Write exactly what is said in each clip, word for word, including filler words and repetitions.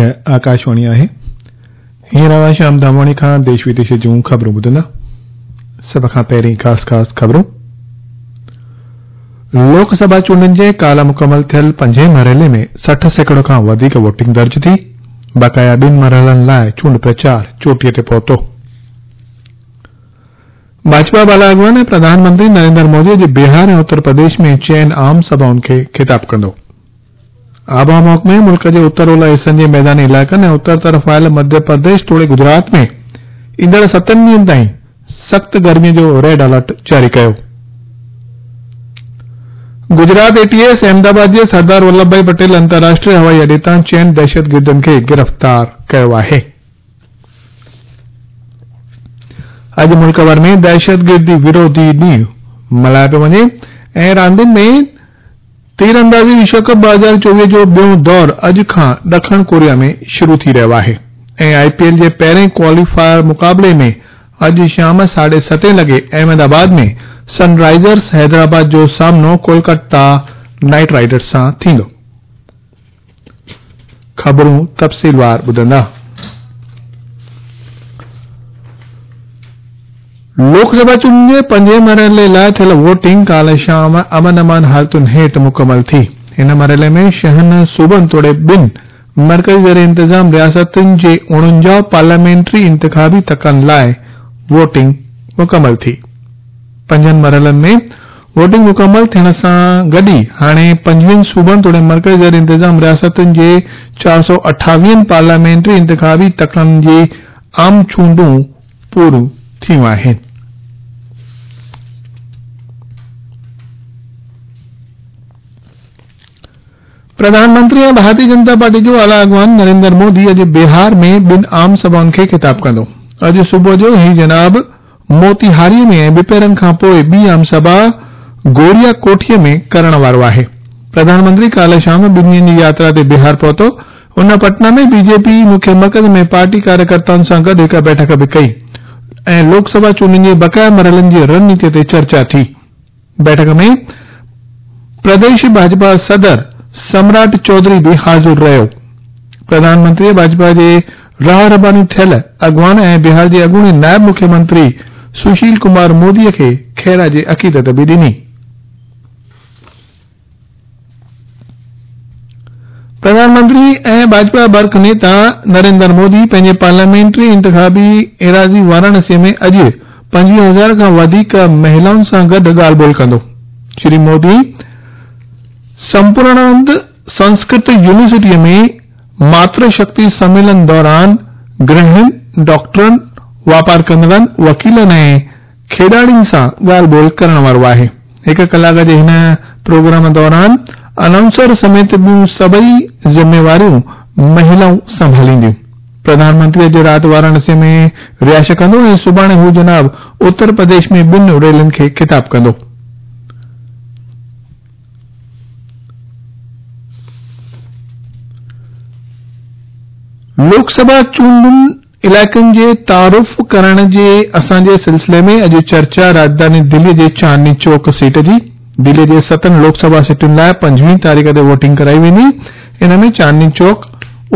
هيء آڪاشواڻي آهي. هينئر اوهان شيام ڌامواڻي کان ديش وديش جون خبرون ٻڌندا. سڀ کان پهرين خاص خاص خبرون. لوڪ سڀا چونڊن جي ڪالهه مڪمل ٿيل پنجين مرحلي ۾ سٺ سيڪڙو کان وڌيڪ ووٽنگ درج ٿي. بقايا ٻن مرحلن لاء چونڊ پرچار چوٽيء تي پهتو. ڀاجپا بالا اڳواڻ ۽ پرڌان منتري نريندر مودي اڄ بهار ۽ اتر پرديش ۾ چئن عام سڀائن کي خطاب ڪندو. آبهوا محڪمي ملڪ جي اتر اولهه حصن جي ميداني علائقن ۽ اتر طرف آيل مڌيه پرديش توڙي گجرات ۾ ايندڙ ستن ڏينهن تائين سخت گرمي جو ريڊ الرٽ جاري ڪيو. Gujarat A T S Ahmedabad جي سردار ولڀ ڀائي پٽيل انترراشٽريه هوائي اڏي تان چئن دهشتگردن کي گرفتار ڪيو آهي. اڄ ملڪ ڀر ۾ دهشتگردي وروڌي ڏينهن ملهايو پيو وڃي ۽ راندين ۾ تيراندازي وشو ڪپ ٻه هزار چوويهه جو ٻيون دور اڄ کان ڏکڻ ڪوريا ۾ شروع ٿي رهيو آهي ۽ آء پي ايل جي پهرين ڪواليفائر مقابلي ۾ اڄ شام ساڍي ستين لڳي احمد آباد ۾ سن رائيزرس حيدرآباد جو سامنو ڪولڪاتا نائيٽ رائيڊرز سان ٿيندو. خبرون تفصيلوار ٻڌندا. لوڪ سڀا چونڊن جي پنجين مرحلي لاء ٿيل ووٽنگ ڪالهه شام امن امان حالتن هيٺ مڪمل ٿي. هن مرحلي ۾ ڇهن صوبن توڙي ٻن مرڪزي زير انتظام رياستن جي اڻونجاهه پارليامينٽري انتخابي تڪن لاء ووٽنگ مڪمل ٿي. پنجن مرحلن ۾ ووٽنگ مڪمل ٿيڻ سان گڏ ئي هاڻي پنجويهن صوبن توڙي مرڪزي زير انتظام رياستن جي چار سؤ اٺاويهن پارليامينٽري انتخابي تڪن جي عام چونڊون پوريون ٿيون آهن. پرڌان منتري ۽ ڀارتيه جنتا پارٽي جو اعليٰ اڳواڻ نريندر مودي اڄ بهار ۾ ٻن عام سڀائن کي خطاب ڪندو. اڄ صبح جو هي جناب موتيهاري ۾ ۽ ٻپهرن کان پوء ٻي عام سڀا گوريا ڪوٺيء ۾ ڪرڻ وارو آهي. پرڌان منتري ڪالهه شام ٻن ڏينهن جي ياترا تي بهار پهتو. هن پٽنا ۾ بي جي پي مکيه مرڪز ۾ پارٽي ڪاريڪرتائن سان گڏ هڪ بيٺڪ به ڪئي ۽ لوڪ سڀا چونڊن جي بقايا مرحلن جي رڻنيتي تي چرچا ٿي. بيٺڪ ۾ پرديش ڀاجپا صدر سمراٽ چوڌري به حاضر رهيو. پرڌان منتريء ڀاجپا جي راهه رباني ٿيل اڳواڻ ۽ بهار جي اڳوڻي نائب مکيه منتري سشيل ڪمار موديء کي خراج عقيدت به ڏني. پرڌان منتري ۽ ڀاجپا برک نيتا نريندر مودي پنهنجي پارليامينٽري انتخابي ايراضي وارانسي ۾ اڄ پنجويهه هزار کان وڌيڪ مهلائن سان گڏ ڳالهه ٻولهه ڪندو. شري مودي سمپورڻانند سنسڪرت يونيورسٽيء ۾ ماتر شڪتي سميلن دوران گرهڻين، ڊاڪٽرن، واپار ڪندڙن، وڪيلن ۽ کيڏاڙين سان ڳالهه ٻولهه ڪرڻ وارو آهي. هڪ ڪلاڪ جي هن پروگرام دوران انائونسر سميت ٻيون سڀئي ذميواريون مهلائون سنڀالينديون. پرڌان منتري اڄ رات وارانسي ۾ رهائش ڪندو ۽ سڀاڻي هو جناب اتر پرديش ۾ ٻن ريلين کي خطاب ڪندو. لوڪ سڀا چونڊن علائقن جي تعارف ڪرائڻ جي اسان جي سلسلي ۾ اڄ چرچا راڄڌاني دلي جي چاندني چوڪ سيٽ جي. دلي جي ستن لوڪ سڀا سيٽن لاء پنجويهه تاريخ تي ووٽنگ ڪرائي ويندي. ان ۾ چاندني چوڪ،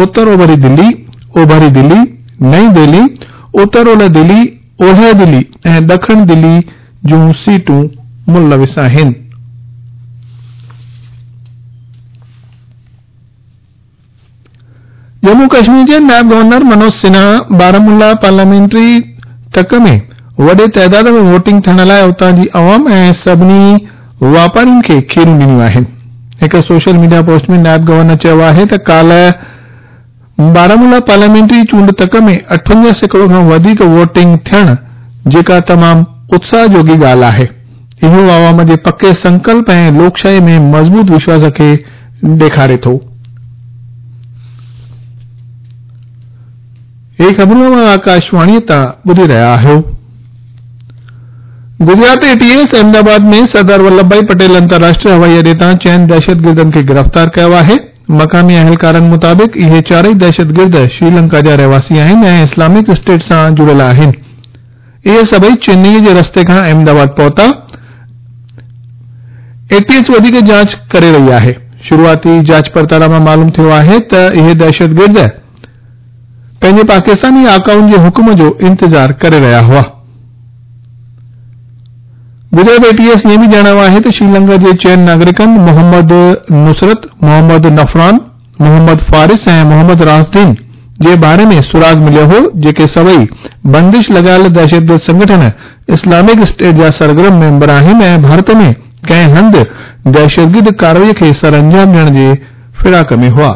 اتر اوڀري دلي، اوڀري دلي، نئين دهلي، اتر اولهه دلي، اولهه دلي ۽ ڏکڻ دلي جون سيٽون ملوث آهن. ڄمون ڪشمير جي نائب گورنر منوج سنها بارامولا پارليامينٽري تڪ ۾ وڏي تعداد ۾ ووٽنگ ٿيڻ لاء اتان جي عوام ۽ سڀني واپارين کي کيرون ڏنيون آهن. هڪ سوشل ميڊيا پوسٽ ۾ نائب گورنر چيو آهي ته ڪالهه بارامولا پارليامينٽري چونڊ تڪ ۾ اٺونجاهه سيڪڙو کان وڌيڪ ووٽنگ ٿيڻ جيڪا تمام اتساهه جوڳي ڳالهه آهي. اهو عوام جي پڪي سنڪلپ ۽ لوڪشاهي ۾ مضبوط وشواس کي ڏيکاري ٿو. هي خبرون اوهان آڪاشواڻيء تان ٻڌي رهيا آهيو. Gujarat A T S Ahmedabad ۾ Sardar Vallabh Bhai Patel انترراشٽريه هوائي اڏي تان چئن دهشتگردن کي گرفتار ڪيو آهي. مقامي اهلڪارن مطابق اهي چارئي دهشتگرد شريلنڪا جا رهواسي آهن ۽ اسلامڪ اسٽيٽ سان جڙيل آهن. اهي سڀئي چنئي جي رستي کان احمدآباد پهتا. اي ٽي ايس وڌيڪ جاچ ڪري رهي آهي. شروعاتي جاچ پڙتال مان معلوم ٿيو آهي ته اهي دهشتگرد पंहिंजे पाकिस्तानी आकाउनि जे हुकुम जो इंतज़ार करे रहिया हुआ। गुजरात एटीएस इहो बि ॼाणायो आहे त श्रीलंका जे चइनि नागरिकनि मोहम्मद नुसरत, मोहम्मद नफरान, मोहम्मद फारिस ऐं मोहम्मद रासदीन जे बारे में सुराग मिलियो हो, जेके सभई बंदिश लॻायल दहशतगर्द संगठन इस्लामिक स्टेट जा सरगर्म मेंबर आहिनि ऐं भारत में कंहिं हंधि दहशतगर्द कार्रवाई खे सरअंजाम ॾियण जे फिराक में हुआ।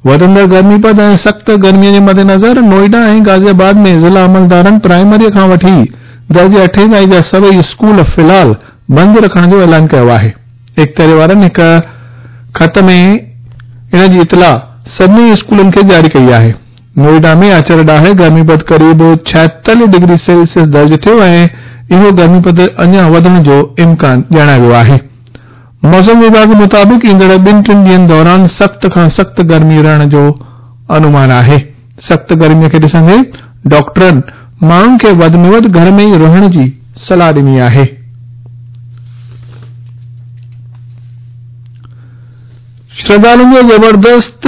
वधंदड़ गर्मी पद ऐं सख़्त गर्मीअ जे मद्देनज़र नोएडा ऐं गाज़ियाबाद में ज़िला अमलदारनि प्राइमरीअ खां वठी दर्जे अठे ताईं जा सभई स्कूल फ़िलहाल बंदि रखण जो ऐलान कयो आहे। इख़्तियारी वारनि हिकु ख़त में इन जी इतला सभिनी स्कूलनि खे जारी कई आहे। नोएडा में आचर ॾाहे गर्मी पद क़रीब छाएतालीह डिग्री सेल्सियस दर्ज थियो ऐं इहो गर्मी पद अञा वधण जो इम्कान ॼाणायो वियो आहे। मौसम विभाग मुताबिक़ ईंदड़ ॿिनि टिनि ॾींहंनि दौरान सख़्त खां सख़्त गर्मी रहण जो अनुमान आहे। सख़्त गर्मीअ खे ॾिसंदे डॉक्टरनि माण्हुनि खे वधि में वधि घर में ई रहण जी सलाह ॾिनी आहे। श्रद्धालुनि जो ज़बरदस्त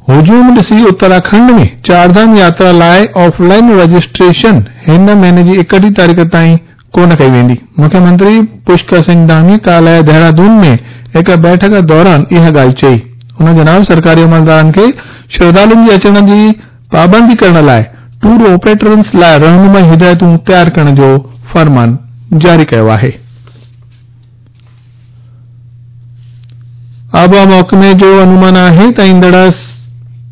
हुजूम ॾिसी उत्तराखंड में चारधाम यात्रा लाइ ऑफलाइन रजिस्ट्रेशन हिन महीने जी एकटीह तारीख़ ताईं कोन कई वेंदी। मुख्यमंत्री पुष्कर सिंह धामी काल्ह देहरादून में हिकु बैठक दौरान इहा ॻाल्हि चई। हुन जनाब सरकारी अमलदारनि खे श्रद्धालुनि जे अचण जी पाबंदी करण लाइ टूर ऑपरेटर्स लाइ रहनुमाई हिदायतूं तयार करण जो फरमान जारी कयो आहे। आबहावा महकमे जो अनुमान आहे त ईंदड़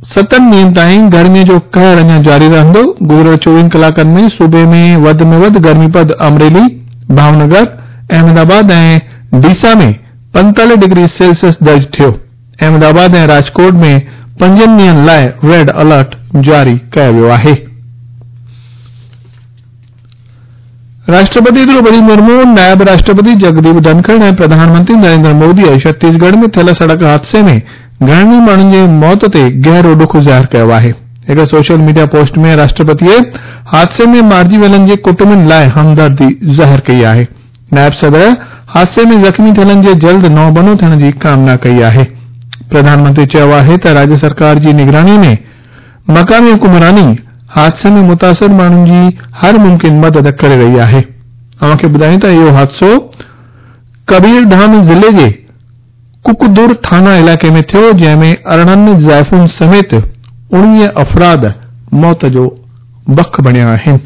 सतनि ॾींहंनि ताईं गर्मीअ जो कहर अञा जारी रहंदो। गुज़िरियल चोवीहनि कलाकनि में सूबे में वधि में वधि गर्मी पद अमरेली, भावनगर, अहमदाबाद ऐं डीसा में पंतालीह डिग्री सेल्सियस दर्ज थियो। अहमदाबाद ऐं राजकोट में पंजनि ॾींहंनि लाइ रेड अलर्ट जारी कयो वियो आहे। राष्ट्रपति द्रौपदी मुर्मू, नायब राष्ट्रपति जगदीप धनखड़ ऐं प्रधानमंत्री नरेंद्र मोदीअ छत्तीसगढ़ में थियल सड़क हादसे में घणनि माण्हुनि जे मौत ते गहरो ॾुख ज़ाहिर कयो आहे। हिकु सोशल मीडिया पोस्ट में राष्ट्रपतीअ हादसे में मारिजी वियलनि जे कुटुंबनि लाइ हमदर्दी ज़ाहिर कई आहे। नायब सदर हादसे में ज़ख़्मी थियलनि जे जल्द नओबनो थियण जी कामना कई आहे। प्रधानमंत्री चयो आहे त राज्य सरकार जी निगरानी में मक़ामी हुकुमरानी हादसे में मुतासिर माण्हुनि जी हर मुमकिन मदद करे रही आहे। अव्हांखे ॿुधायूं त इहो हादसो कबीरधाम ज़िले जे कुकदुर थाना इलाइक़े में थियो, जंहिं अरिड़हं ज़ाइफ़ुनि समेत उणिवीह अफ़राद मौत जो बख बणिया आहिनि।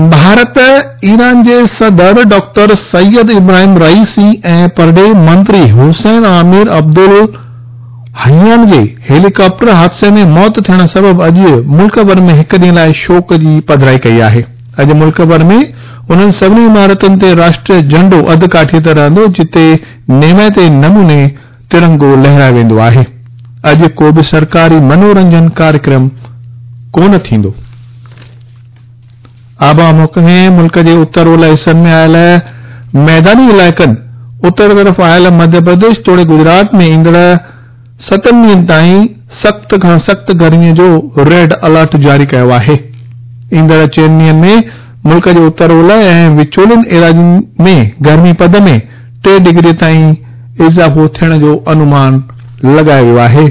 भारत ईरान जे सदर डॉक्टर सैयद इब्राहिम रईसी ऐं परॾेही मंत्री हुसैन आमिर अब्दुल हयान जे हेलीकॉप्टर हादसे में मौत थियण सबबि अॼु मुल्क भर में हिकु ॾींहं लाइ शोक जी पधराई कई आहे। अॼु मुल्क भर में उन्हनि सभिनी इमारतुनि ते राष्ट्रीय झंडो अधु काठीअ ते रहंदो, जिते नेमाइते नमूने तिरंगो लहरायो वेंदो आहे। अॼु को बि सरकारी मनोरंजन कार्यक्रम कोन थींदो। आबहावा महकमे मुल्क जे उत्तर ओलह हिसनि में आयल मैदानी इलाइक़नि, उत्तर तरफ़ आयल मध्य प्रदेश तोड़े गुजरात में ईंदड़ सतनि ॾींहंनि ताईं सख़्त खां सख़्त गर्मीअ जो रेड अलर्ट जारी कयो आहे। ईंदड़ चइनि ॾींहंनि में मुल्क जे उत्तर ओलह ऐं विचोलनि एराज़ियुनि में गर्मी पद में टे डिग्री ताईं इज़ाफ़ो थियण जो अनुमान लॻायो वियो आहे।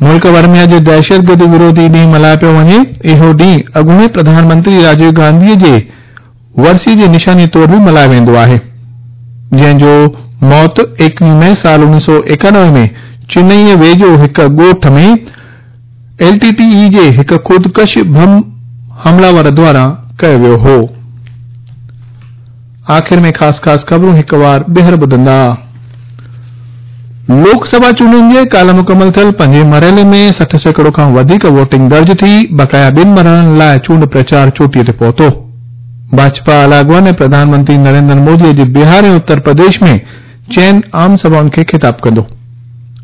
मुल्क भर में अॼु दहशतगर्द विरोधी ॾींहुं मल्हायो पियो वञे। इहो ॾींहुं अॻूणे प्रधानमंत्री राजीव गांधीअ जे वरसी जी निशानी तौर बि मल्हायो वेंदो आहे, जंहिंजो मौत एकवीह मई साल उणिवीह सौ एकानवे में चेन्नईअ वेझो हिकु ॻोठ में एल टी टी ई जे हिकु ख़ुदकश बम हमलावर द्वारा कयो वियो हो। आख़िर में ख़ासि ख़ासि ख़बरूं हिकु वार ॿीहर ॿुधंदा। लोकसभा चूंडुनि जे काल्ह मुकमल थियल पंजे मरहले में सठि सैकड़ो खां वधीक वोटिंग दर्ज थी। बक़ाया ॿिनि मरहलनि लाइ चूंड प्रचार चोटीअ ते पहुतो। भाजपा आला अॻवान ऐं प्रधानमंत्री नरेंद्र मोदी अॼु बिहार ऐं उत्तर प्रदेश में चइनि आम सभाउनि खे ख़िताब कंदो।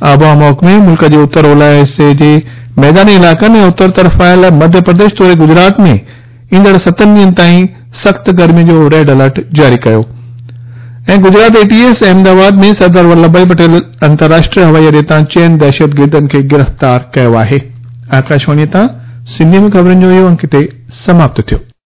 आबहावा महकमे मुल्क जे उत्तर ओलह हिसे जे मैदानी इलाइक़नि ऐं उत्तर तरफ़ आयल मध्य प्रदेश तोड़े गुजरात में ईंदड़ सतनि ॾींहंनि ताईं सख़्त गर्मी जो रेड अलर्ट जारी कयो। ऐं गुजरात एटीएस अहमदाबाद में सरदार वल्लभ भाई पटेल अंतर्राष्ट्रीय हवाई अॾे तां चइनि दहशतगर्दनि खे गिरफ़्तार कयो आहे। आकाशवाणी तां सिंधी में ख़बरुनि जो इहो अंक हिते समाप्त थियो।